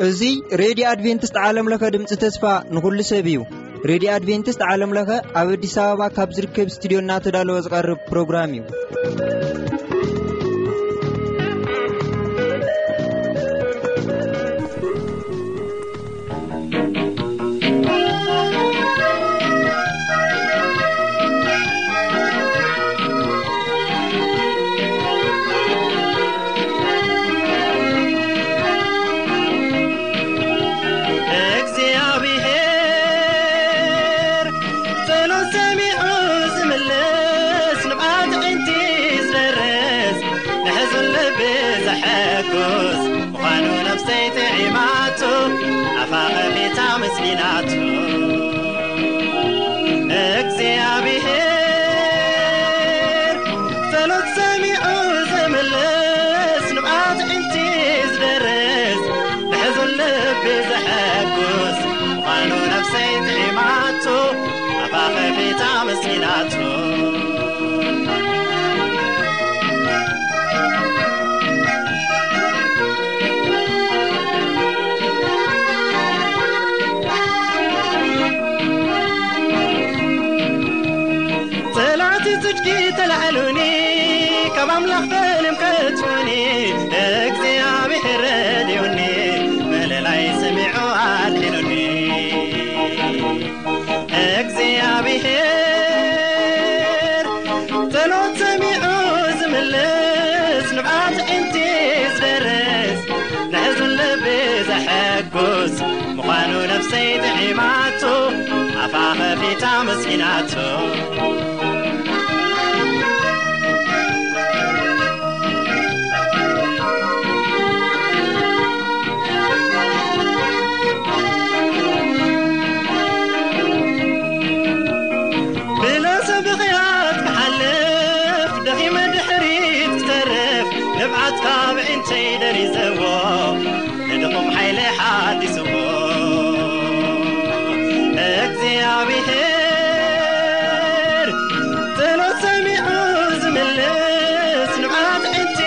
እዚ ሬድዮ ኣድቬንቲስት ዓለም ለኸ ድምፂ ተስፋ ንኹሉ ሰብ እዩ። ሬድዮ ኣድቬንቲስት ዓለም ለኸ ኣብ ኣዲስ ኣበባ ካብ ዝርከብ ስቱዲዮ እናተዳለወ ዝቐርብ ፕሮግራም እዩ። እግዚኣብሔር ጸሎት ሰሚዑ ዝምልስ፣ ንብዓት ኣዒንቲ ዝደርስ፣ ንሕዙን ልቢ ዘሐጉስ ምዃኑ ነፍሰይ ጥዒማቶ፣ ኣፋ ኸፊታ መስኪናቶ። እግዚኣብሔር ጸሎት ሰሚዑ ዝምልስ፣ ንብዓት ኣዒንቲ ዝደርስ፣ ንሕዙን ልቢ ዘሐጉስ ምዃኑ ነፍሰይ ጥዒማቶ፣ ኣፋ ኸፊታ መስኪናቶ። ጸላእቲ ጽድቂ ተላዕሉኒ፣ ካብ ኣምላኽ ፈሊዮም ከጥፍኡኒ፣ እግዚኣብሔር ረድኡኒ፣ መለላይ ሰሚዑ ኣድሒኑኒ። እግዚኣብሔር ጸሎት ሰሚዑ ዝምልስ፣ ንብዓት ኣዒንቲ ዝደርስ፣ ንሕዙን ልቢ ዘሐጉስ ምዃኑ ነፍሰይ ጥዒማቶ፣ ኣፋ ኸፊታ መስኪናቶ። ብለሰ ብኽያት ክሓልፍ፣ ደኺመ ድሕሪት ክተርፍ፣ ንብዓት ካብ ኣዒንተይ ደሪዘዎ፣ ንድኹም ሓይሊ ሓዲስዎ። እግዚኣብሔር ጸሎት ሰሚዑ ዝምልስ፣ ንብዓት ኣዒንቲ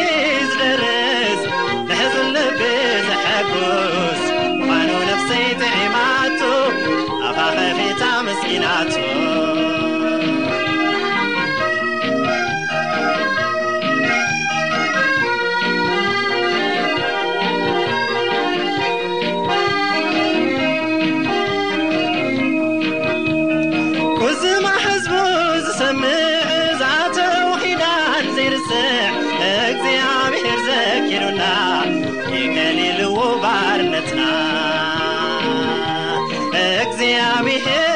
ዝደርስ፣ ንሕዙን ልቢ ዘሐጉስ ምዃኑ ነፍሰይ ጥዒማቶ፣ ኣፋ ኸፊታ መስኪናቶ። ቁዝማ ህዝቡ ዝሰምዕ፣ ዝኣተው ኪዳን ዘይርስዕ፣ እግዚኣብሔር ዘኪሩና፣ ይከሊልዎ ባርነትና። እግዚኣብሔር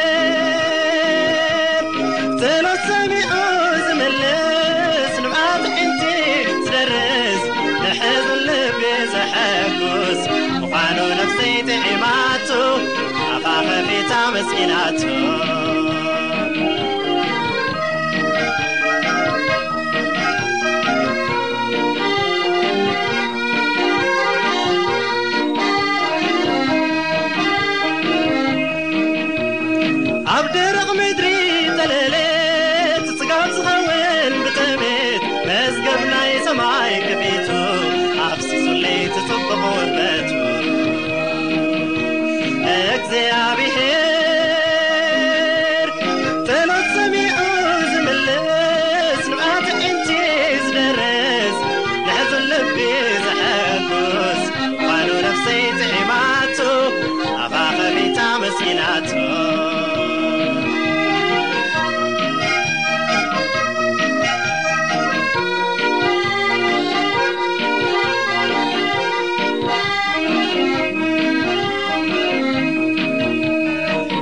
ጸሎት ሰሚዑ ዝምልስ፣ ንብዓት ኣዒንቲ ዝደርስ፣ ንሕዙን ልቢ ዘሐጉስ ምዃኑ ነፍሰይ ጥዒማቶ፣ ኣፋ ኸፊታ መስኪናቶ። ኣብ ደረቕ ምድሪ ተለለ፣ ጽጋብ ዝኸውን ብጥሜት፣ መዝገብ ናይ ሰማይ ከፊቱ፣ ኣፍሲሱለይ እቲ ጽቡቕ ውርደቱ። እግዚኣብሔር ጸሎት ሰሚዑ ዝምልስ፣ ንብዓት ኣዒንቲ ዝደርስ፣ ንሕዙን ልቢ ዘሐጉስ፣ ምዃኑ ነፍሰይ ጥዒማቶ፣ ኣፋ ኸፊታ መስኪናቶ።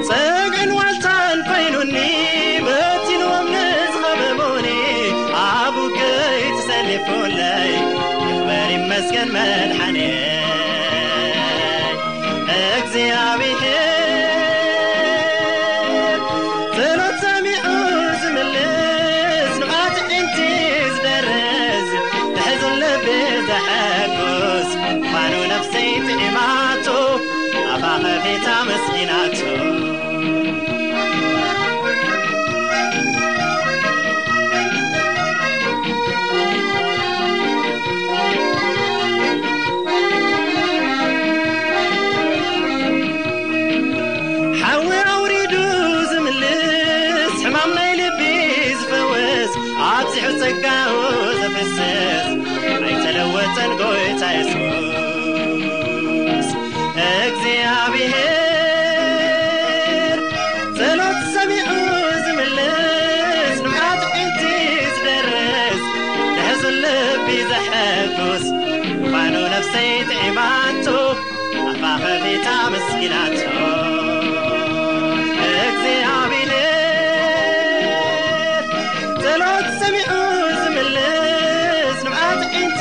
ጸግዕን ዋልታን ኮይኑኒ፣ በቲንዎም ንዝኸበቡኒ፣ ኣብ ውግእይ ተሰሊፉለይ፣ ይኽበር ይመስገን መድሓኔ። እግዚኣብሔር ጸሎት ሰሚዑ ዝምልስ፣ ንብዓት ኣዒንቲ ዝደርስ፣ ንሕዙን ልቢ ዘሐጉስ፣ ምዃኑ ነፍሰይ ጥዒማቶ፣ ኣፋ ኸፊታ መስኪናቶ። ጸጋኡ ዝፍስስ ኣይተለወጠን ጎይታ የሱስ። እግዚኣብሔር ጸሎት ሰሚዑ ዝምልስ፣ ንብዓት ዒንቲ ዝደርስ፣ ንሕዙን ልቢ ዘሐጉስ ምዃኑ ነፍሰይ ጥዒማቶ፣ ኣፋ ከፊታ መስኪናቶ። እግዚኣብሔር ጸሎት ሰሚዑ ዝምልስ፣ ንብዓት ዒንቲ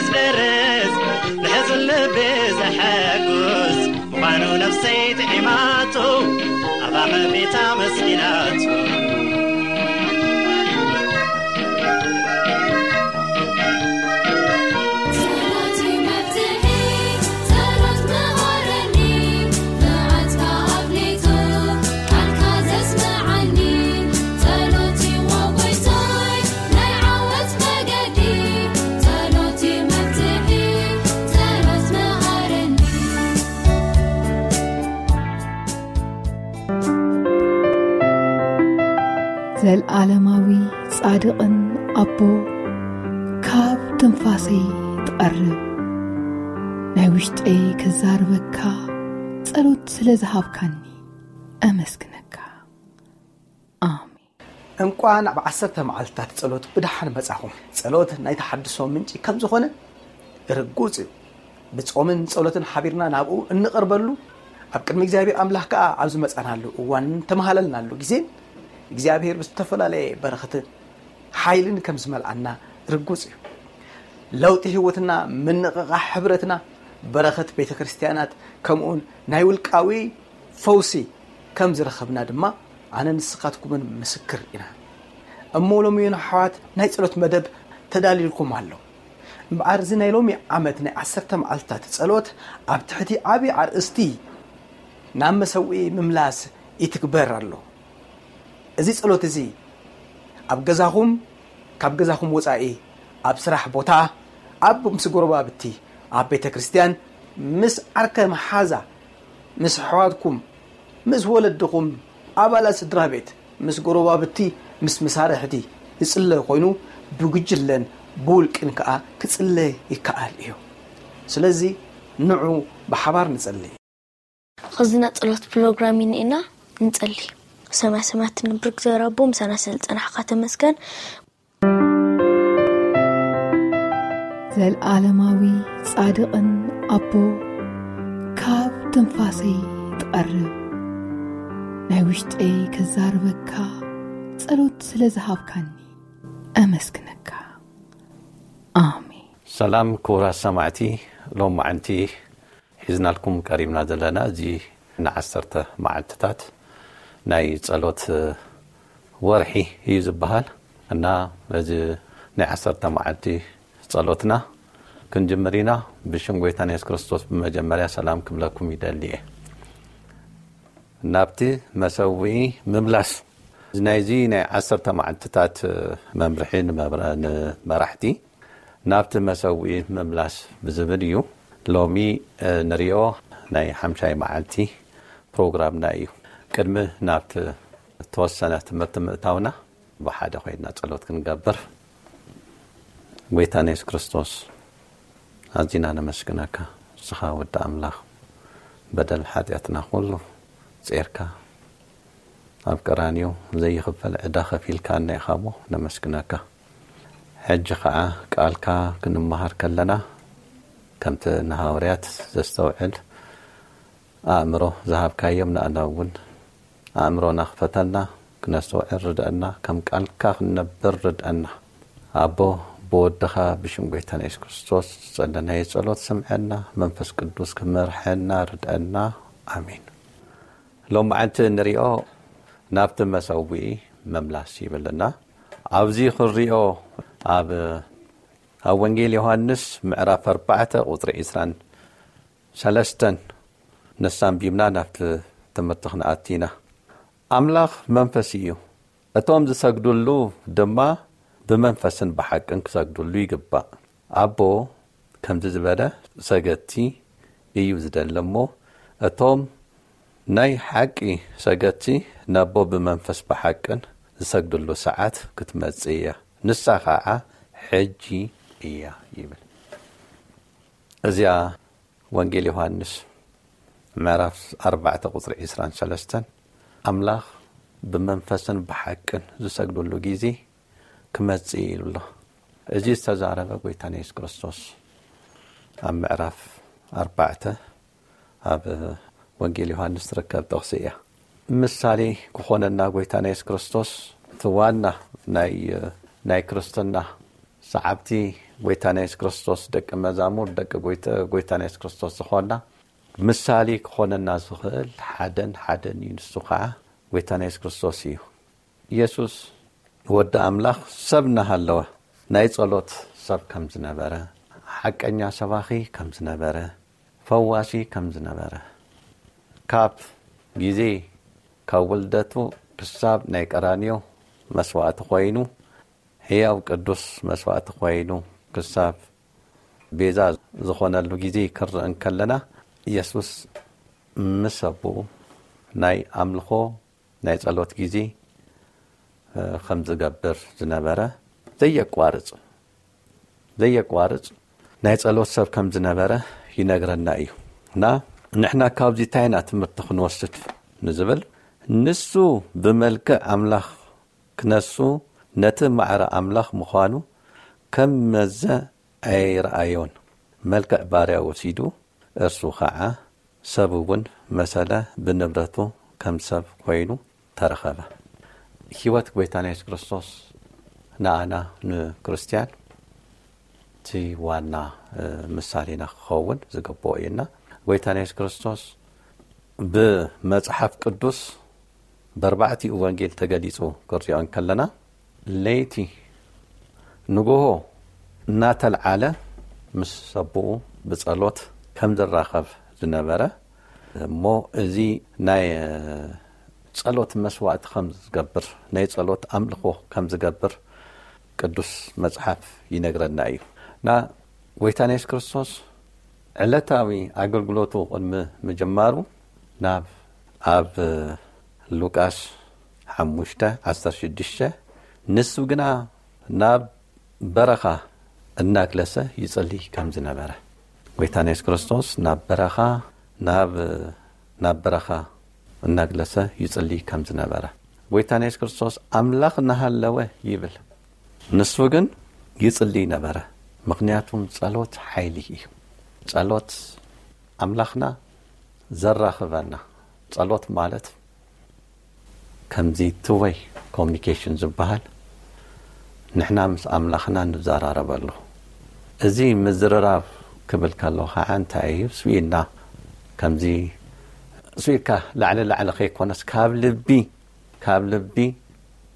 ዝደርስ፣ ንሕዙን ልቢ ዘሐጉስ ምዃኑ ነፍሰይ ጥዒማቶ፣ ኣፋ ከፊታ መስኪናቶ። ጸሎት መፍትሒ፣ ጸሎት መሃረኒ፣ መዓትካ ኣፍሊጡ፣ ቃልካ ዘስምዓኒ። ጸሎት ይዎ ጎይታይ፣ ናይ ዓወት መገዲ። ጸሎት መፍትሒ፣ ጸሎት መሃረኒ። ዘልኣለማዊ ጻድቕን ኣቦ፣ ካብ ትንፋሰይ ትቐርብ፣ ናይ ውሽጠይ ክዛርበካ፣ ጸሎት ስለ ዝሃብካኒ ኣመስግነካ። ኣሜን። እንቋን ኣብ ዓሰርተ መዓልትታት ጸሎት ብደሓን መጻኹም። ጸሎት ናይ ተሓድሶ ምንጪ ከም ዝኾነ ርጉጽ እዩ። ብጾምን ጸሎትን ሓቢርና ናብኡ እንቐርበሉ፣ ኣብ ቅድሚ እግዚኣብሔር ኣምላኽ ከኣ ኣብ ዝመጻናሉ እዋን እንተመሃለልናሉ ግዜን እግዚኣብሔር ብዝተፈላለየ በረኸትን ሓይልን ከም ዝመልኣና ርጉጽ እዩ። ለውጢ ህይወትና፣ ምንቕቓሕ ሕብረትና፣ በረኸት ቤተ ክርስቲያናት፣ ከምኡውን ናይ ውልቃዊ ፈውሲ ከም ዝረኸብና ድማ ኣነ ንስኻትኩምን ምስክር ኢና። እሞ ሎሚ እውን ኣሕዋት ናይ ጸሎት መደብ ተዳልዩልኩም ኣሎ። እምበኣር እዚ ናይ ሎሚ ዓመት ናይ ዓሰርተ መዓልትታት ጸሎት ኣብ ትሕቲ ዓቢ ኣርእስቲ ናብ መሰውኢ ምምላስ ይትግበር ኣሎ። እዚ ጸሎት እዚ ኣብ ገዛኹም፣ ካብ ገዛኹም ወጻኢ፣ ኣብ ስራሕ ቦታ፣ ኣብ ምስ ጎረባብቲ፣ ኣብ ቤተ ክርስቲያን፣ ምስ ዓርከ መሓዛ፣ ምስ ኣሕዋትኩም፣ ምስ ወለድኹም፣ ኣባላት ስድራ ቤት፣ ምስ ጎረባብቲ፣ ምስ መሳርሕቲ ዝጽለ ኮይኑ ብጉጅለን ብውልቅን ከኣ ክጽለ ይከኣል እዩ። ስለዚ ንዑ ብሓባር ንጸሊ። ኸዚ ናይ ጸሎት ፕሮግራም ኢና ንጸሊ። ሰማይ ሰማያት ንብር እግዚኣብሔር ኣቦ፣ ምሳና ስለ ዝጸናሕካ ተመስገን። ዘልኣለማዊ ጻድቕን ኣቦ፣ ካብ ትንፋሰይ ትቐርብ፣ ናይ ውሽጠይ ክዛርበካ፣ ጸሎት ስለ ዝሃብካኒ ኣመስግነካ። ኣሜን። ሰላም ክቡራት ሰማዕቲ፣ ሎማዕንቲ ሒዝናልኩም ቀሪብና ዘለና እዚ ንዓሰርተ መዓልትታት ናይ ጸሎት ወርሒ እዩ ዝበሃል እና እዚ ናይ ዓሰርተ መዓልቲ ጸሎትና ክንጅምር ኢና። ብሽም ጎይታና የሱስ ክርስቶስ ብመጀመርያ ሰላም ክብለኩም ይደሊ እየ። ናብቲ መሰውኢ ምምላስ ናይዚ ናይ ዓሰርተ መዓልትታት መምርሒ ንመብረ-፣ ንመራሕቲ ናብቲ መሰውኢ ምምላስ ብዝብል እዩ። ሎሚ፣ እ፣ ንሪኦ ናይ ሓምሻይ መዓልቲ ፕሮግራምና እዩ። ቅድሚ ናብቲ ተወሰነ ትምህርቲ ምእታውና ብሓደ ኮይንና ጸሎት ክንገብር። ጎይታና የሱስ ክርስቶስ፣ ኣዚና ነመስግነካ። ንስኻ ወዲ ኣምላኽ፣ በደል ሓጢኣትና ኩሉ ጼርካ ኣብ ቀራንዮ ዘይኽፈል ዕዳ ከፊልካና ኢኻ እሞ ነመስግነካ። ሕጂ ኸዓ ቃልካ ክንመሃር ከለና፣ ከምቲ ንሃዋርያት ዘስተውዕል ኣእምሮ ዝሃብካዮም፣ ንኣና እውን ኣእምሮና ክፈተልና፣ ክነስተውዕል ርድአና፣ ከም ቃልካ ክንነብር ርድአና። ኣቦ፣ ብወድኻ ብሽም ጎይታና የሱስ ክርስቶስ ዝጸለናዮ ጸሎት ስምዐና፣ መንፈስ ቅዱስ ክመርሐና ርድአና። ኣሜን። ሎም መዓልቲ እንሪኦ ናብቲ መሰውኢ ምምላስ ይብልና። ኣብዚ ክንሪኦ ኣብ፣ ኣብ ወንጌል ዮሃንስ ምዕራፍ ኣርባዕተ ቁጽሪ ዕስራን ሰለስተን ንሳ ኣንቢብና ናብቲ ትምህርቲ ክንኣቲ ኢና። ኣምላኽ መንፈስ እዩ፣ እቶም ዝሰግድሉ ድማ ብመንፈስን ብሓቅን ክሰግድሉ ይግባእ። ኣቦ ከምዚ ዝበለ ሰገድቲ እዩ ዝደሊ እሞ፣ እቶም ናይ ሓቂ ሰገድቲ ነቦ ብመንፈስ ብሓቅን ዝሰግድሉ ሰዓት ክትመጽእ እያ። ንሳ ኸዓ ሕጂ እያ ይብል። እዚኣ ወንጌል ዮሃንስ ምዕራፍ ኣርባዕተ ቁፅሪ ዕስራን ሰለስተን ኣምላኽ ብመንፈስን ብሓቅን ዝሰግድሉ ግዜ ክመጽእ እዩ ኣሎ። እዚ ዝተዛረበ ጎይታና የሱስ ክርስቶስ ኣብ ምዕራፍ ኣርባዕተ ኣብ ወንጌል ዮሃንስ ትርከብ ጥቕሲ እያ። ምሳሌ ክኾነና ጎይታና የሱስ ክርስቶስ እቲ ዋና ናይ ናይ ክርስትና ሰዓብቲ ጎይታና የሱስ ክርስቶስ ደቂ መዛሙር ደቂ ጎይታና የሱስ ክርስቶስ ዝኾንና ምሳሌ ክኾነና ዝኽእል ሓደን ሓደን እዩ። ንሱ ከዓ ጎይታና የሱስ ክርስቶስ እዩ። የሱስ ወዲ ኣምላኽ ሰብ እናሃለወ ናይ ጸሎት ሰብ ከም ዝነበረ፣ ሓቀኛ ሰባኺ ከም ዝነበረ፣ ፈዋሲ ከም ዝነበረ፣ ካብ ግዜ ካብ ውልደቱ ክሳብ ናይ ቀራንዮ መስዋእቲ ኮይኑ፣ ህያው ቅዱስ መስዋእቲ ኮይኑ ክሳብ ቤዛ ዝኾነሉ ግዜ ክንርኢ እንከለና፣ የሱስ ምስ ኣቦኡ ናይ ኣምልኾ ናይ ጸሎት ግዜ ከም ዝገብር ዝነበረ ዘየቋርጽ ዘየቋርጽ ናይ ጸሎት ሰብ ከም ዝነበረ ይነግረና እዩ። እና ንሕና ካብዚ እንታይ ኢና ትምህርቲ ክንወስድ ንዝብል፣ ንሱ ብመልክዕ ኣምላኽ ክነሱ ነቲ ማዕረ ኣምላኽ ምዃኑ ከም መዘ ኣይረኣዮን። መልክዕ ባርያ ወሲዱ፣ እርሱ ኸዓ ሰብ እውን መሰለ፣ ብንብረቱ ከም ሰብ ኮይኑ ተረኸበ። ህይወት ጎይታና የሱስ ክርስቶስ ንኣና ንክርስቲያን እቲ ዋና ምሳሌና ክኸውን ዝግብኦ እዩና። ጎይታና የሱስ ክርስቶስ ብመጽሓፍ ቅዱስ በርባዕቲኡ ወንጌል ተገሊጹ ክንሪኦ እንከለና፣ ለይቲ ንግሆ እናተልዓለ ምስ ኣቦኡ ብጸሎት ከም ዝራኸብ ዝነበረ፣ እሞ እዚ ናይ ጸሎት መስዋእቲ ከም ዝገብር፣ ናይ ጸሎት ኣምልኾ ከም ዝገብር ቅዱስ መጽሓፍ ይነግረና እዩ። እና ጎይታና የሱስ ክርስቶስ ዕለታዊ ኣገልግሎቱ ቅድሚ ምጅማሩ ናብ ኣብ ሉቃስ ሓሙሽተ ዓሰርተ ሽዱሽተ፣ ንሱ ግና ናብ በረኻ እናግለሰ ይጽሊ ከም ዝነበረ፣ ጎይታና የሱስ ክርስቶስ ናብ በረኻ ናብ ናብ በረኻ እናግለሰ ይጽሊ ከም ዝነበረ፣ ጎይታና የሱስ ክርስቶስ ኣምላኽ እናሃለወ ይብል፣ ንሱ ግን ይጽሊ ነበረ። ምኽንያቱም ጸሎት ሓይሊ እዩ። ጸሎት ኣምላኽና ዘራኽበና። ጸሎት ማለት ከምዚ two way communication ዝበሃል፣ ንሕና ምስ ኣምላኽና ንዘራረበሉ። እዚ ምዝርራብ ክብል ከሎ ኸዓ እንታይ እዩ? ስኢልና ከምዚ ስኢልካ ላዕሊ ላዕሊ ከይኮነስ ካብ ልቢ፣ ካብ ልቢ፣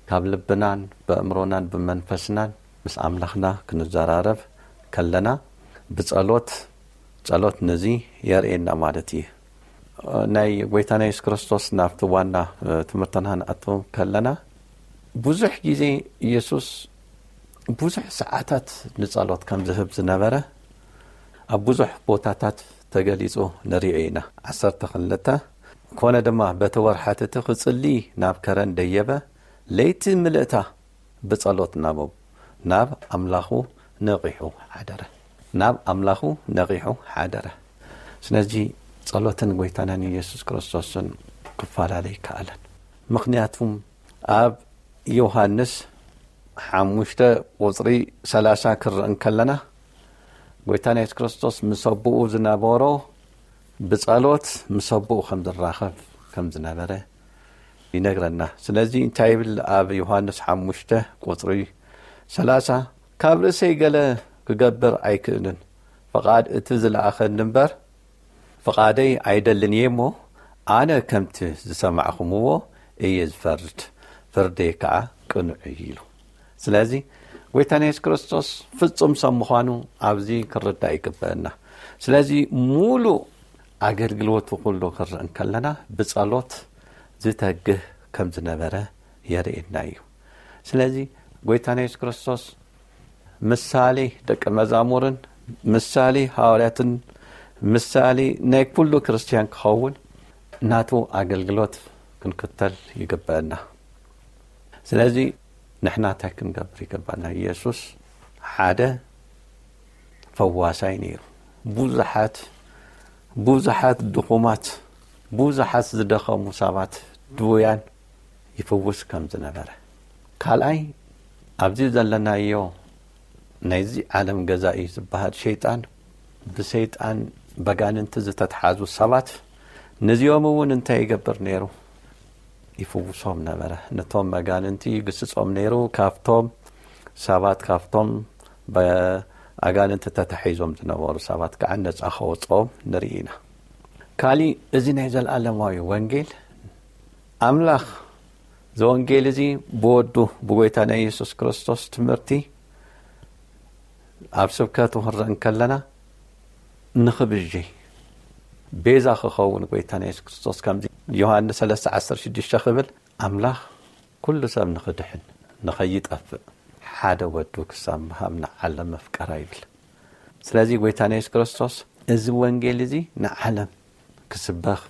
ካብ ልብናን ብኣእምሮናን ብመንፈስናን ምስ ኣምላኽና ክንዘራረብ ከለና ብጸሎት፣ ጸሎት ነዚ የርእየና ማለት እዩ። ናይ ጎይታና የሱስ ክርስቶስ ናብቲ ዋና ትምህርትና ንኣቱ ከለና፣ ብዙሕ ግዜ ኢየሱስ ብዙሕ ሰዓታት ንጸሎት ከም ዝህብ ዝነበረ ኣብ ብዙሕ ቦታታት ተገሊጹ ንርእዮ ኢና። ዓሰርተ ክልተ፣ ኮነ ድማ በቲ ወርሓት እቲ ክጽሊ ናብ ከረን ደየበ፣ ለይቲ ምልእታ ብጸሎት ናብ ናብ ኣምላኹ ነቒሑ ሓደረ። ናብ ኣምላኹ ነቒሑ ሓደረ። ስለዚ ጸሎትን ጎይታናን ኢየሱስ ክርስቶስን ክፈላለ ይከኣለን። ምኽንያቱም ኣብ ዮሃንስ ሓሙሽተ ቁጽሪ ሰላሳ ክርኢ እንከለና፣ ጎይታና የሱስ ክርስቶስ ምስ ኣቦኡ ዝነበሮ ብጸሎት ምስ ኣቦኡ ከም ዝራኸብ ከም ዝነበረ ይነግረና። ስለዚ እንታይ ይብል ኣብ ዮሃንስ ሓሙሽተ ቁጽሪ ሰላሳ፣ ካብ ርእሰይ ገለ ክገብር ኣይክእልን፣ ፍቓድ እቲ ዝለኣኸኒ እምበር ፍቓደይ ኣይደልን እየ እሞ፣ ኣነ ከምቲ ዝሰማዕኹምዎ እየ ዝፈርድ፣ ፍርደይ ከኣ ቅኑዕ እዩ ኢሉ። ስለዚ ጎይታና የሱስ ክርስቶስ ፍጹም ሰብ ምዃኑ ኣብዚ ክርዳእ ይግበአና። ስለዚ ሙሉእ ኣገልግሎቱ ኩሉ ክርኢ እንከለና ብጸሎት ዝተግህ ከም ዝነበረ የርእየና እዩ። ስለዚ ጎይታና የሱስ ክርስቶስ ምሳሌ ደቂ መዛሙርን ምሳሌ ሃዋርያትን ምሳሌ ናይ ኩሉ ክርስትያን ክኸውን ናቱ ኣገልግሎት ክንክተል ይግበአና። ስለዚ ንሕና እንታይ ክንገብር ይገባና? ኢየሱስ ሓደ ፈዋሳይ ነይሩ። ብዙሓት ብዙሓት ድኹማት፣ ብዙሓት ዝደኸሙ ሰባት፣ ድውያን ይፍውስ ከም ዝነበረ። ካልኣይ፣ ኣብዚ ዘለናዮ ናይዚ ዓለም ገዛኢ ዝበሃል ሸይጣን፣ ብሰይጣን በጋንንቲ ዝተትሓዙ ሰባት፣ ነዚኦም እውን እንታይ ይገብር ነይሩ? ይፍውሶም ነበረ። ነቶም መጋንንቲ ይግስጾም ነይሩ። ካብቶም ሰባት፣ ካብቶም ብኣጋንንቲ ተታሒዞም ዝነበሩ ሰባት ከዓ ነጻ ከወጽኦም ንርኢ ኢና። ካሊእ፣ እዚ ናይ ዘለኣለማዊ ወንጌል፣ ኣምላኽ፣ እዚ ወንጌል እዚ ብወዱ፣ ብጎይታና የሱስ ክርስቶስ ትምህርቲ ኣብ ስብከቱ ክንርኢ እንከለና፣ ንኽብጂ፣ ቤዛ ክኸውን ጎይታና የሱስ ክርስቶስ፣ ከምዚ ዮሃንስ ሰለስተ ዓሰርተ ሽዱሽተ ክብል፣ ኣምላኽ ኩሉ ሰብ ንኽድሕን፣ ንኸይጠፍእ፣ ሓደ ወዱ ክሳብ ምሃብ ንዓለም መፍቀራ ይብል። ስለዚ ጎይታና የሱስ ክርስቶስ፣ እዚ ወንጌል እዚ ንዓለም ክስበኽ፣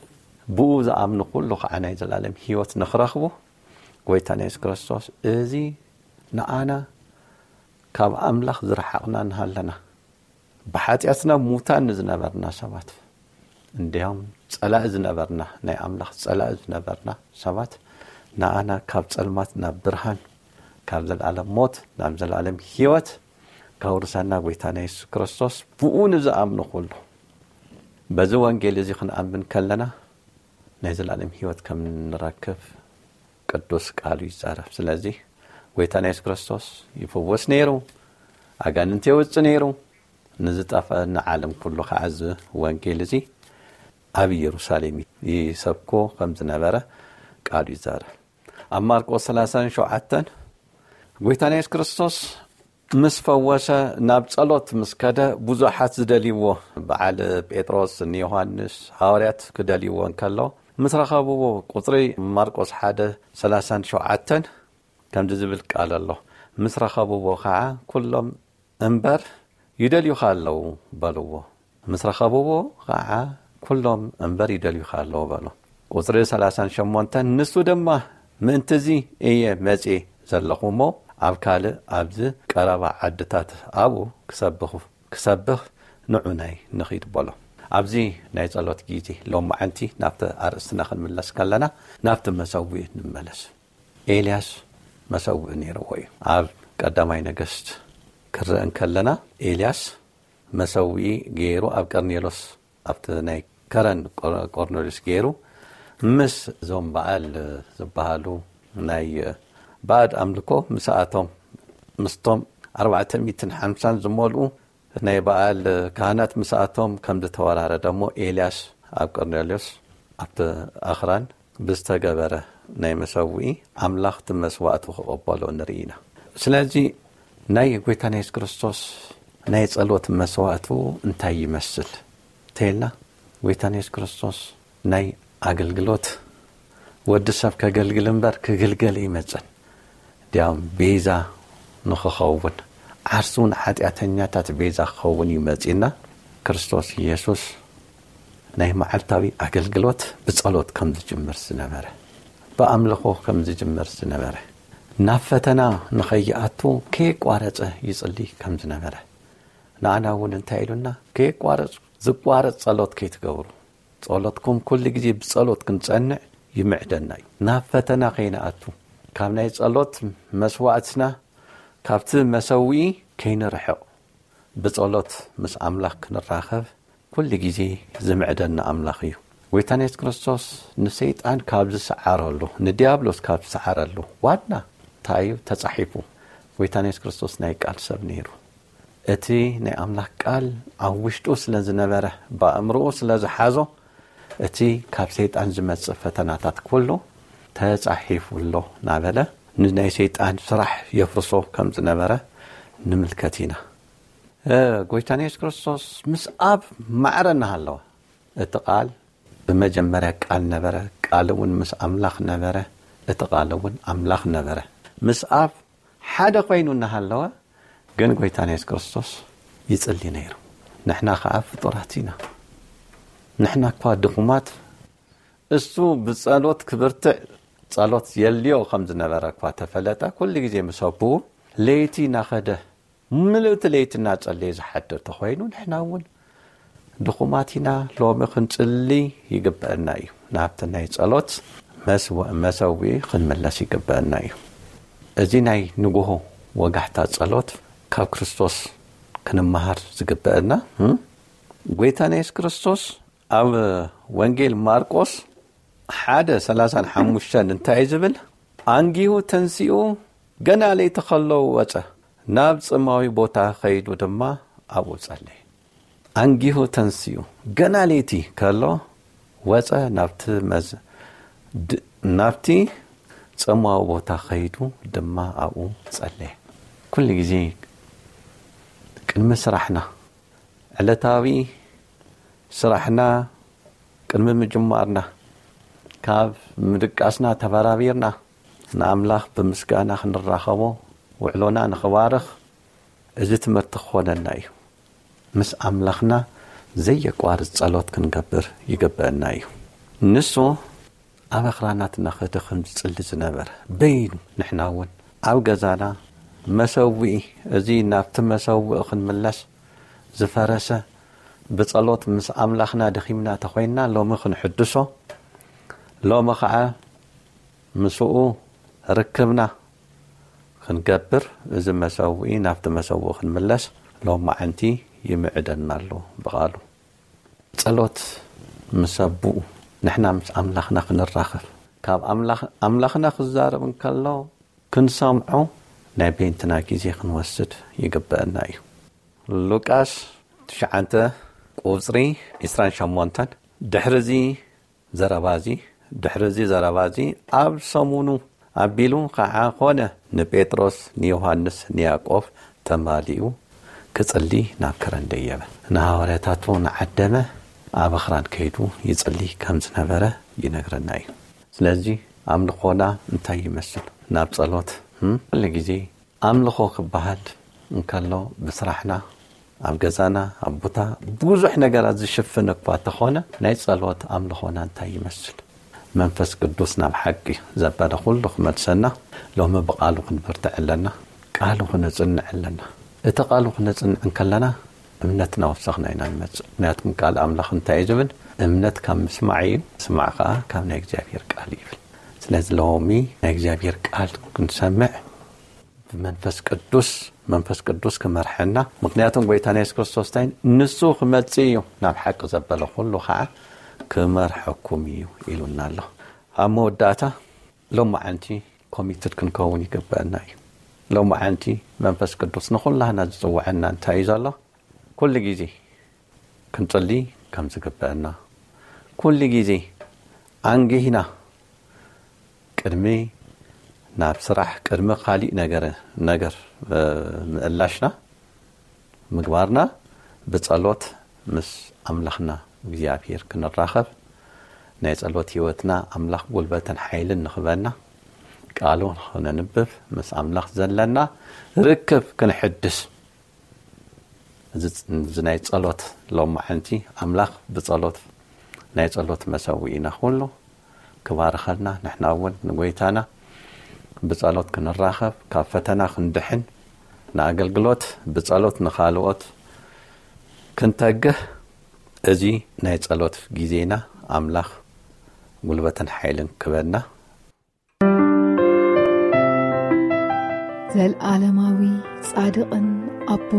ብኡ ዝኣምኑ ኩሉ ከዓ ናይ ዘላለም ህይወት ንኽረኽቡ፣ ጎይታና የሱስ ክርስቶስ፣ እዚ ንኣና ካብ ኣምላኽ ዝረሓቕና እንሃለና፣ ብሓጢኣትና ሙታን ንዝነበርና ሰባት፣ እንዲያውም ጸላኢ ዝነበርና፣ ናይ ኣምላኽ ጸላኢ ዝነበርና ሰባት፣ ንኣና ካብ ጸልማት ናብ ብርሃን፣ ካብ ዘላለም ሞት ናብ ዘላለም ህይወት ከውርሰና ጎይታና የሱስ ክርስቶስ፣ ብኡ ንዝኣምኑ ኩሉ፣ በዚ ወንጌል እዚ ክንኣምን ከለና፣ ናይ ዘላለም ህይወት ከም ንረክብ ቅዱስ ቃሉ ይዛረብ። ስለዚ ጎይታና የሱስ ክርስቶስ ይፍውስ ነይሩ፣ ኣጋንንቲ የውጽእ ነይሩ፣ ንዝጠፍአ ንዓለም ኩሉ ከዓ እዚ ወንጌል እዚ ኣብ ኢየሩሳሌም ይሰብኮ ከም ዝነበረ ቃሉ ይዛረብ። ኣብ ማርቆስ ሰላሳን ሸውዓተን ጎይታና የሱስ ክርስቶስ ምስ ፈወሰ፣ ናብ ጸሎት ምስ ከደ፣ ብዙሓት ዝደልይዎ፣ በዓል ጴጥሮስ፣ ንዮሃንስ፣ ሃዋርያት ክደልይዎ እንከሎ፣ ምስ ረኸብዎ፣ ቁጽሪ ማርቆስ ሓደ ሰላሳን ሸውዓተን ከምዚ ዝብል ቃል ኣሎ። ምስ ረኸብዎ ኸዓ፣ "ኩሎም እምበር ይደልዩኻ ኣለዉ" በልዎ። ምስ ረኸብዎ ኸዓ፣ "ኩሎም እምበር ይደልዩኻ ኣለዉ" በሎ። ቁጽሪ ሰላሳን ሸሞንተን፣ ንሱ ድማ፣ "ምእንቲ እዚ እየ መጺኤ ዘለኹ እሞ፣ ኣብ ካልእ፣ ኣብዚ ቀረባ ዓድታት ኣብኡ ክሰብኹ፣ ክሰብኽ ንዑናይ ንኺድ" በሎ። ኣብዚ ናይ ጸሎት ጊዜ ሎማዓንቲ ናብቲ ኣርእስትና ክንምለስ ከለና፣ ናብቲ መሰውኢ ንመለስ። ኤልያስ መሰውኢ ነይርዎ እዩ። ኣብ ቀዳማይ ነገስት ክረአ እንከለና፣ ኤልያስ መሰውኢ ገይሩ ኣብ ቀርኔሎስ፣ ኣብቲ ናይ ከረን ቆር-፣ ቆርኔሎስ ገይሩ፣ ምስ እዞም በዓል ዝበሃሉ ናይ ባዕድ ኣምልኮ ምስኣቶም፣ ምስቶም ኣርባዕተ ሚእትን ሓምሳን ዝመልኡ ናይ በዓል ካህናት ምስኣቶም ከም ዝተወራረደ እሞ፣ ኤልያስ ኣብ ቀርኔሎስ ኣብቲ ኣኽራን ብዝተገበረ ናይ መሰውኢ ኣምላኽ እቲ መስዋእቱ ክቕበሎ ንርኢ ኢና። ስለዚ ናይ ጎይታና የሱስ ክርስቶስ ናይ ጸሎት መስዋእቱ እንታይ ይመስል እንተኢልና፣ ጎይታና የሱስ ክርስቶስ ናይ ኣገልግሎት፣ ወዲ ሰብ ከገልግል እምበር ክግልገል ኣይመጸን። እንዲያውም ቤዛ ንኽኸውን፣ ዓርሱ ንሓጢኣተኛታት ቤዛ ክኸውን እዩ መጺእና። ክርስቶስ ኢየሱስ ናይ መዓልታዊ ኣገልግሎት ብጸሎት ከም ዝጅምር ዝነበረ፣ ብኣምልኾ ከም ዝጅምር ዝነበረ፣ ናብ ፈተና ንኸይኣቱ ከየቋረጸ ይጽሊ ከም ዝነበረ፣ ንኣና እውን እንታይ ኢሉና? "ከየቋረጽ፣ ዝቋረጽ ጸሎት ከይትገብሩ፣ ጸሎትኩም ኩሉ ግዜ ብጸሎት ክንጸንዕ ይምዕደና እዩ። ናብ ፈተና ከይንኣቱ፣ ካብ ናይ ጸሎት መስዋዕትና፣ ካብቲ መሰውኢ ከይንርሕቕ፣ ብጸሎት ምስ ኣምላኽ ክንራኸብ ኩሉ ግዜ ዝምዕደና ኣምላኽ እዩ።" ጎይታና የሱስ ክርስቶስ ንሰይጣን ካብ ዝሰዓረሉ፣ ንዲያብሎስ ካብ ዝሰዓረሉ ዋና እንታይ እዩ ተጻሒፉ? ጎይታና የሱስ ክርስቶስ ናይ ቃል ሰብ ነይሩ። እቲ ናይ ኣምላኽ ቃል ኣብ ውሽጡ ስለ ዝነበረ፣ ብኣእምሮኡ ስለ ዝሓዞ፣ እቲ ካብ ሰይጣን ዝመጽእ ፈተናታት ኩሉ ተጻሒፉ ኣሎ እናበለ፣ ንናይ ሰይጣን ስራሕ የፍርሶ ከም ዝነበረ ንምልከት ኢና። እ፣ ጎይታና የሱስ ክርስቶስ ምስ ኣብ ማዕረ እናሃለወ፣ እቲ ቃል ብመጀመርያ ቃል ነበረ፣ ቃል እውን ምስ ኣምላኽ ነበረ፣ እቲ ቃል እውን ኣምላኽ ነበረ። ምስ ኣብ ሓደ ኮይኑ እናሃለወ ግን ጎይታና የሱስ ክርስቶስ ይጽሊ ነይሩ። ንሕና ከኣ ፍጡራት ኢና። ንሕና እኳ ድኹማት፣ እሱ ብጸሎት ክብርትዕ ጸሎት የልዮ ከም ዝነበረ እኳ ተፈለጠ፣ ኩሉ ግዜ ምስ ኣቦኡ ለይቲ እናኸደ፣ ምልእቲ ለይቲ እናጸለየ ዝሓድር ተኾይኑ፣ ንሕና እውን ድኹማት ኢና። ሎሚ ክንጽሊ ይግበአና እዩ። ናብቲ ናይ ጸሎት መስወ-፣ መሰውኢ ክንምለስ ይግበአና እዩ። እዚ ናይ ንግሆ ወጋሕታ ጸሎት ካብ ክርስቶስ ክንመሃር ዝግበአና፣ እም? ጎይታና የሱስ ክርስቶስ ኣብ ወንጌል ማርቆስ ሓደ ሰላሳን ሓሙሽተን እንታይ እዩ ዝብል? ኣንጊሁ ተንሲኡ፣ ገና ለይቲ ከሎ ወጸ፣ ናብ ጽማዊ ቦታ ኸይዱ ድማ ኣብኡ ጸለየ። ኣንጊሁ ተንሲኡ፣ ገና ለይቲ ከሎ ወጸ፣ ናብቲ መዝ-፣ ድ-፣ ናብቲ ጽማዊ ቦታ ኸይዱ ድማ ኣብኡ ጸለየ። ኩሉ ግዜ ቅድሚ ስራሕና፣ ዕለታዊ ስራሕና ቅድሚ ምጅማርና፣ ካብ ምድቃስና ተበራቢርና፣ ንኣምላኽ ብምስጋና ክንራኸቦ፣ ውዕሎና ንኽባርኽ፣ እዚ ትምህርቲ ክኾነና እዩ። ምስ ኣምላኽና ዘየቋርጽ ጸሎት ክንገብር ይግበአና እዩ። ንሱ ኣብ ኣኽራናት እናኸደ ከም ዝጽሊ ዝነበረ በይኑ፣ ንሕና እውን ኣብ ገዛና መሰውኢ፣ እዚ ናብቲ መሰውኢ ክንምለስ ዝፈረሰ፣ ብጸሎት ምስ ኣምላኽና ደኺምና ተኾይንና፣ ሎሚ ክንሕድሶ፣ ሎሚ ኸዓ ምስኡ ርክብና ክንገብር፣ እዚ መሰውኢ፣ ናብቲ መሰውኢ ክንምለስ ሎማዓንቲ ይምዕደና ኣሎ ብቓሉ። ጸሎት ምስ ኣቦኡ፣ ንሕና ምስ ኣምላኽና ክንራኸብ፣ ካብ ኣምላኽ-፣ ኣምላኽና ክዛረብ እንከሎ ክንሰምዖ ናይ በይንትና ግዜ ክንወስድ ይግበአና እዩ። ሉቃስ ትሽዓተ ቁጽሪ ዕስራን ሸሞንተን። ድሕሪ እዚ ዘረባ እዚ፣ ድሕሪ እዚ ዘረባ እዚ ኣብ ሰሙኑ ኣቢሉ ኸዓ ኾነ፣ ንጴጥሮስ፣ ንዮሃንስ፣ ንያዕቆብ ተማሊኡ ክጽሊ ናብ ከረን ደየበ። ንሃዋርያታቱ ንዓደመ ኣብ ኣኽራን ከይዱ ይጽሊ ከም ዝነበረ ይነግረና እዩ። ስለዚ ኣምልኾና እንታይ ይመስል? ናብ ጸሎት፣ እም? ኩሉ ግዜ ኣምልኾ ክበሃል እንከሎ ብስራሕና፣ ኣብ ገዛና፣ ኣብ ቦታ ብዙሕ ነገራት ዝሽፍን እኳ ተኾነ፣ ናይ ጸሎት ኣምልኾና እንታይ ይመስል? መንፈስ ቅዱስ ናብ ሓቂ ዘበለ ኩሉ ክመልሰና፣ ሎሚ ብቃሉ ክንብርትዕ ኣለና፣ ቃሉ ክነጽንዕ ኣለና። እቲ ቃሉ ክነጽንዕ እንከለና እምነትና ወሰኽና ኢና ንመጽእ። ምክንያቱም ቃል ኣምላኽ እንታይ እዩ ዝብል? እምነት ካብ ምስማዕ እዩ፣ ምስማዕ ከኣ ካብ ናይ እግዚኣብሔር ቃል እዩ ይብል። ስለዚ ሎሚ ናይ እግዚኣብሔር ቃል ክንሰምዕ ብመንፈስ ቅዱስ፣ መንፈስ ቅዱስ ክመርሐና። ምክንያቱም ጎይታና የሱስ ክርስቶስ እንታይ ንሱ ክመጽእ እዩ፣ ናብ ሓቂ ዘበለ ኩሉ ኸዓ ክመርሐኩም እዩ ኢሉና ኣሎ። ኣብ መወዳእታ ሎማዓንቲ ኮሚትድ ክንከውን ይግበአና እዩ። ሎማዓንቲ መንፈስ ቅዱስ ንኹላህና ዝጽውዐና እንታይ እዩ ዘሎ? ኩሉ ግዜ ክንጽሊ ከም ዝግበአና፣ ኩሉ ግዜ ኣንጊህና ቅድሚ ናብ ስራሕ፣ ቅድሚ ካሊእ ነገር፣ ነገር፣ እ፣ ምእላሽና፣ ምግባርና፣ ብጸሎት ምስ ኣምላኽና እግዚኣብሔር ክንራኸብ፣ ናይ ጸሎት ህይወትና ኣምላኽ ጉልበትን ሓይልን ንኽበና፣ ቃሉ ንኽነንብብ፣ ምስ ኣምላኽ ዘለና ርክብ ክንሕድስ፣ እዚ፣ እዚ ናይ ጸሎት ሎማዓንቲ ኣምላኽ ብጸሎት፣ ናይ ጸሎት መሰውኢና ኩሉ ክባርኸልና፣ ንሕና እውን ንጎይታና ብጸሎት ክንራኸብ፣ ካብ ፈተና ክንድሕን፣ ንኣገልግሎት ብጸሎት ንኻልኦት ክንተግህ፣ እዚ ናይ ጸሎት ግዜና ኣምላኽ ጉልበትን ሓይልን ክበና። ዘልኣለማዊ ጻድቕን ኣቦ፣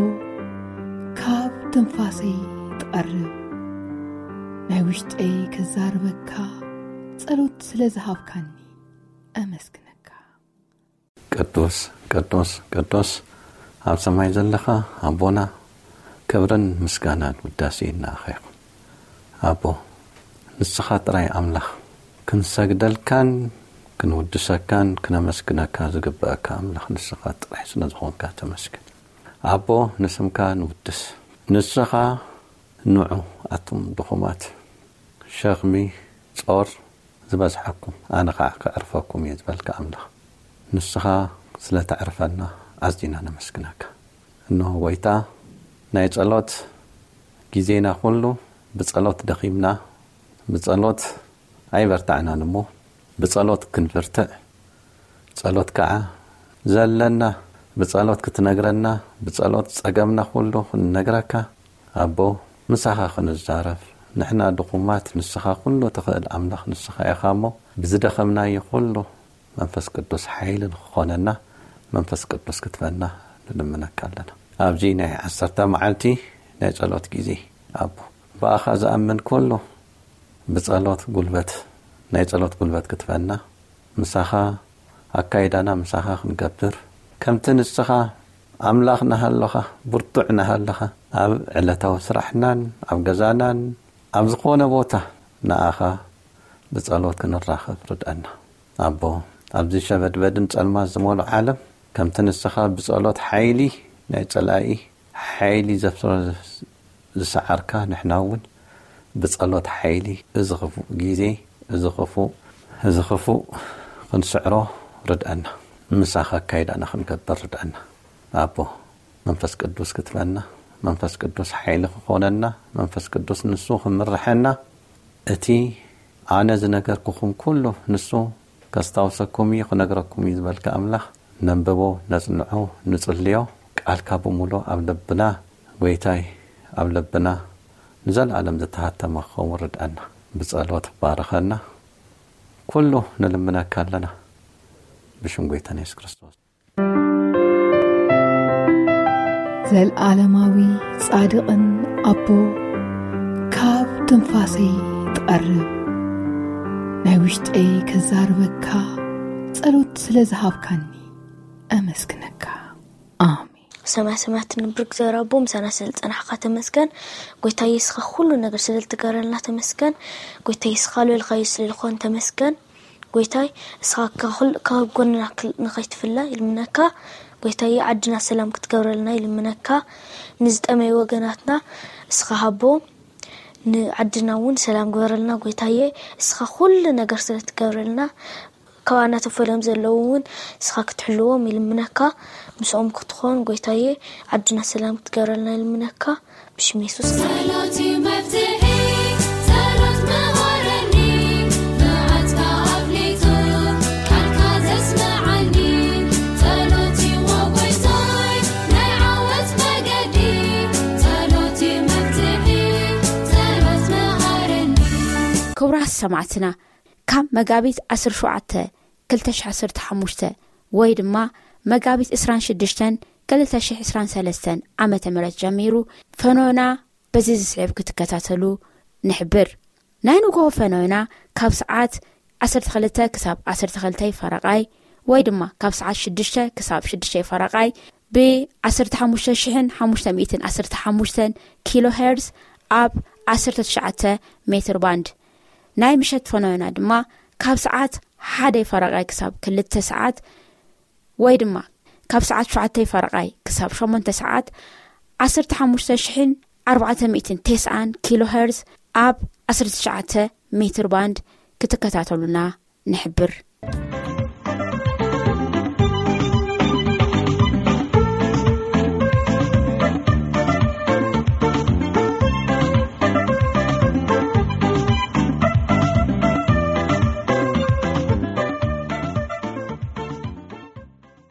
ካብ ትንፋሰይ ትቐርብ፣ ናይ ውሽጠይ ከዛርበካ፣ ጸሎት ስለ ዝሃብካኒ ኣመስግነካ። ቅዱስ፣ ቅዱስ፣ ቅዱስ፣ ኣብ ሰማይ ዘለኻ ኣቦና፣ ክብርን ምስጋናን ውዳሴን ንኣኻ ይኹን። ኣቦ፣ ንስኻ ጥራይ ኣምላኽ፣ ክንሰግደልካን ክንውድሰካን ክነመስግነካ ዝግበኣካ ኣምላኽ ንስኻ ጥራይ ስለ ዝኾንካ ተመስገን። ኣቦ፣ ንስምካ ንውድስ። ንስኻ ንዑ ኣቱም ድኹማት፣ ሸኽሚ ጾር ዝበዝሓኩም፣ ኣነ ኸዓ ከዕርፈኩም እየ ዝበልካ ኣምላኽ፣ ንስኻ ስለ ተዕርፈና ኣዝና ነመስግነካ። እንሆ ጎይታ፣ ናይ ጸሎት ግዜና ኩሉ ብጸሎት ደኺምና፣ ብጸሎት ኣይበርታዕናን እሞ፣ ብጸሎት ክንፍርትዕ፣ ጸሎት ከዓ ዘለና ብጸሎት ክትነግረና፣ ብጸሎት ጸገምና ኩሉ ክንነግረካ፣ ኣቦ፣ ምሳኻ ክንዛረብ። ንሕና ድኹማት፣ ንስኻ ኩሉ ትኽእል ኣምላኽ ንስኻ ኢኻ እሞ፣ ብዝደኸምናዮ ኩሉ መንፈስ ቅዱስ ሓይሊ ንክኾነና፣ መንፈስ ቅዱስ ክትበና ንልምነካ ኣለና። ኣብዚ ናይ ዓሰርተ መዓልቲ ናይ ጸሎት ግዜ፣ ኣቦ፣ ብኣኻ ዝኣምን ኩሉ ብጸሎት ጉልበት፣ ናይ ጸሎት ጉልበት ክትበና፣ ምሳኻ ኣካይዳና ምሳኻ ክንገብር፣ ከምቲ ንስኻ ኣምላኽ ናሃለኻ፣ ብርቱዕ ናሃለኻ፣ ኣብ ዕለታዊ ስራሕናን ኣብ ገዛናን ኣብ ዝኾነ ቦታ ንኣኻ ብጸሎት ክንራኸብ ርድኣና። ኣቦ፣ ኣብዚ ሸበድበድን ጸልማት ዝመልኦ ዓለም፣ ከምቲ ንስኻ ብጸሎት ሓይሊ ናይ ጸላኢ ሓይሊ ዘፍስሮ ዝሰዓርካ፣ ንሕና እውን ብጸሎት ሓይሊ እዚ ክፉእ ግዜ፣ እዚ ክፉእ፣ እዚ ክፉእ ክንስዕሮ ርድኣና። ምሳኻ ኣካይዳና ክንገብር ርድኣና። ኣቦ፣ መንፈስ ቅዱስ ክትበና፣ መንፈስ ቅዱስ ሓይሊ ክኾነና፣ መንፈስ ቅዱስ ንሱ ክምርሐና፣ እቲ ኣነ ዝነገርኩኹም ኩሉ ንሱ ከስታውሰኩም እዩ፣ ክነግረኩም እዩ ዝበልካ ኣምላኽ፣ ነንብቦ፣ ነጽንዖ፣ ንጽልዮ፣ ቃልካ ብምሉእ ኣብ ልብና፣ ጎይታይ፣ ኣብ ልብና ንዘለኣለም ዝተሃተመ ክኸውን ርድኣና። ብጸሎት ባርኸና፣ ኩሉ ንልምነካ ኣለና፣ ብሽም ጎይታና የሱስ ክርስቶስ። ዘልዓለማዊ ጻድቕን ኣቦ፣ ካብ ትንፋሰይ ትቐርብ፣ ናይ ውሽጠይ ከዛርበካ፣ ጸሎት ስለ ዝሃብካኒ ኣመስግነካ። ኣሜን። ሰማይ ሰማያት ትነብር እግዚኣብሔር ኣቦ፣ ምሳና ስለ ዝጸናሕካ ተመስገን። ጎይታ የሱስ፣ ኩሉ ነገር ስለ እትገብረልና ተመስገን። ጎይታ የሱስ፣ ልበልካዮ ስለ ዝኾነ ተመስገን። ጎይታይ፣ እስኻ ካብ ኩል-፣ ካብ ጎንና ክል-፣ ንኸይትፍለ ይልምነካ። ጎይታዬ፣ ዓድና ሰላም ክትገብረልና ይልምነካ። ንዝጠመዩ ወገናትና እስኻ ሃቦ፣ ንዓድና እውን ሰላም ግበረልና። ጎይታዬ፣ እስኻ ኩሉ ነገር ስለ ትገብረልና፣ ካባና ተፈልዮም ዘለዉ እውን እስኻ ክትሕልዎም ይልምነካ። ምስኦም ክትኾን ጎይታዬ፣ ዓድና ሰላም ክትገብረልና ይልምነካ። ብሽም የሱስ። ጸሎት እዩ መፍትሒ፣ ጸሎት መሃረኒ፣ መዓትካ ኣፍሊጡ፣ ቃልካ ዘስምዓኒ። ጸሎት እዩ ጎይታይ፣ ናይ ዓወት መገዲ። ጸሎት እዩ መፍትሒ፣ ጸሎት መሃረኒ። ክቡራት ሰማዕትና፣ ካብ መጋቢት ዓሰርተ ሸውዓተ ክልተ ሽሕ ዓሰርተ ሓሙሽተ ወይ ድማ መጋቢት ዕስራን ሽዱሽተን ክልተ ሽሕ ዕስራን ሰለስተን ዓመተ ምህረት ጀሚሩ ፈኖና በዚ ዝስዕብ ክትከታተሉ ንሕብር። ናይ ንግሆ ፈኖና ካብ ሰዓት ዓሰርተ ክልተ ክሳብ ዓሰርተ ክልተ ፈረቓይ ወይ ድማ ካብ ሰዓት ሽዱሽተ ክሳብ ሽዱሽተ ፈረቓይ ብ ዓሰርተ ሓሙሽተ ሽሕን ሓሙሽተ ሚእትን ዓሰርተ ሓሙሽተን ኪሎ ሄርዝ ኣብ ዓሰርተ ትሽዓተ ሜትር ባንድ። ናይ ምሸት ፈኖና ድማ ካብ ሰዓት ሓደ ፈረቓይ ክሳብ ክልተ ሰዓት ወይ ድማ ካብ ሰዓት ሸውዓተ ፈረቓይ ክሳብ ሸሞንተ ሰዓት ዓሰርተ ሓሙሽተ ሽሕን ኣርባዕተ ሚእትን ተስዓን ኪሎ ሄርዝ ኣብ ዓሰርተ ትሽዓተ ሜትር ባንድ ክትከታተሉና ንሕብር።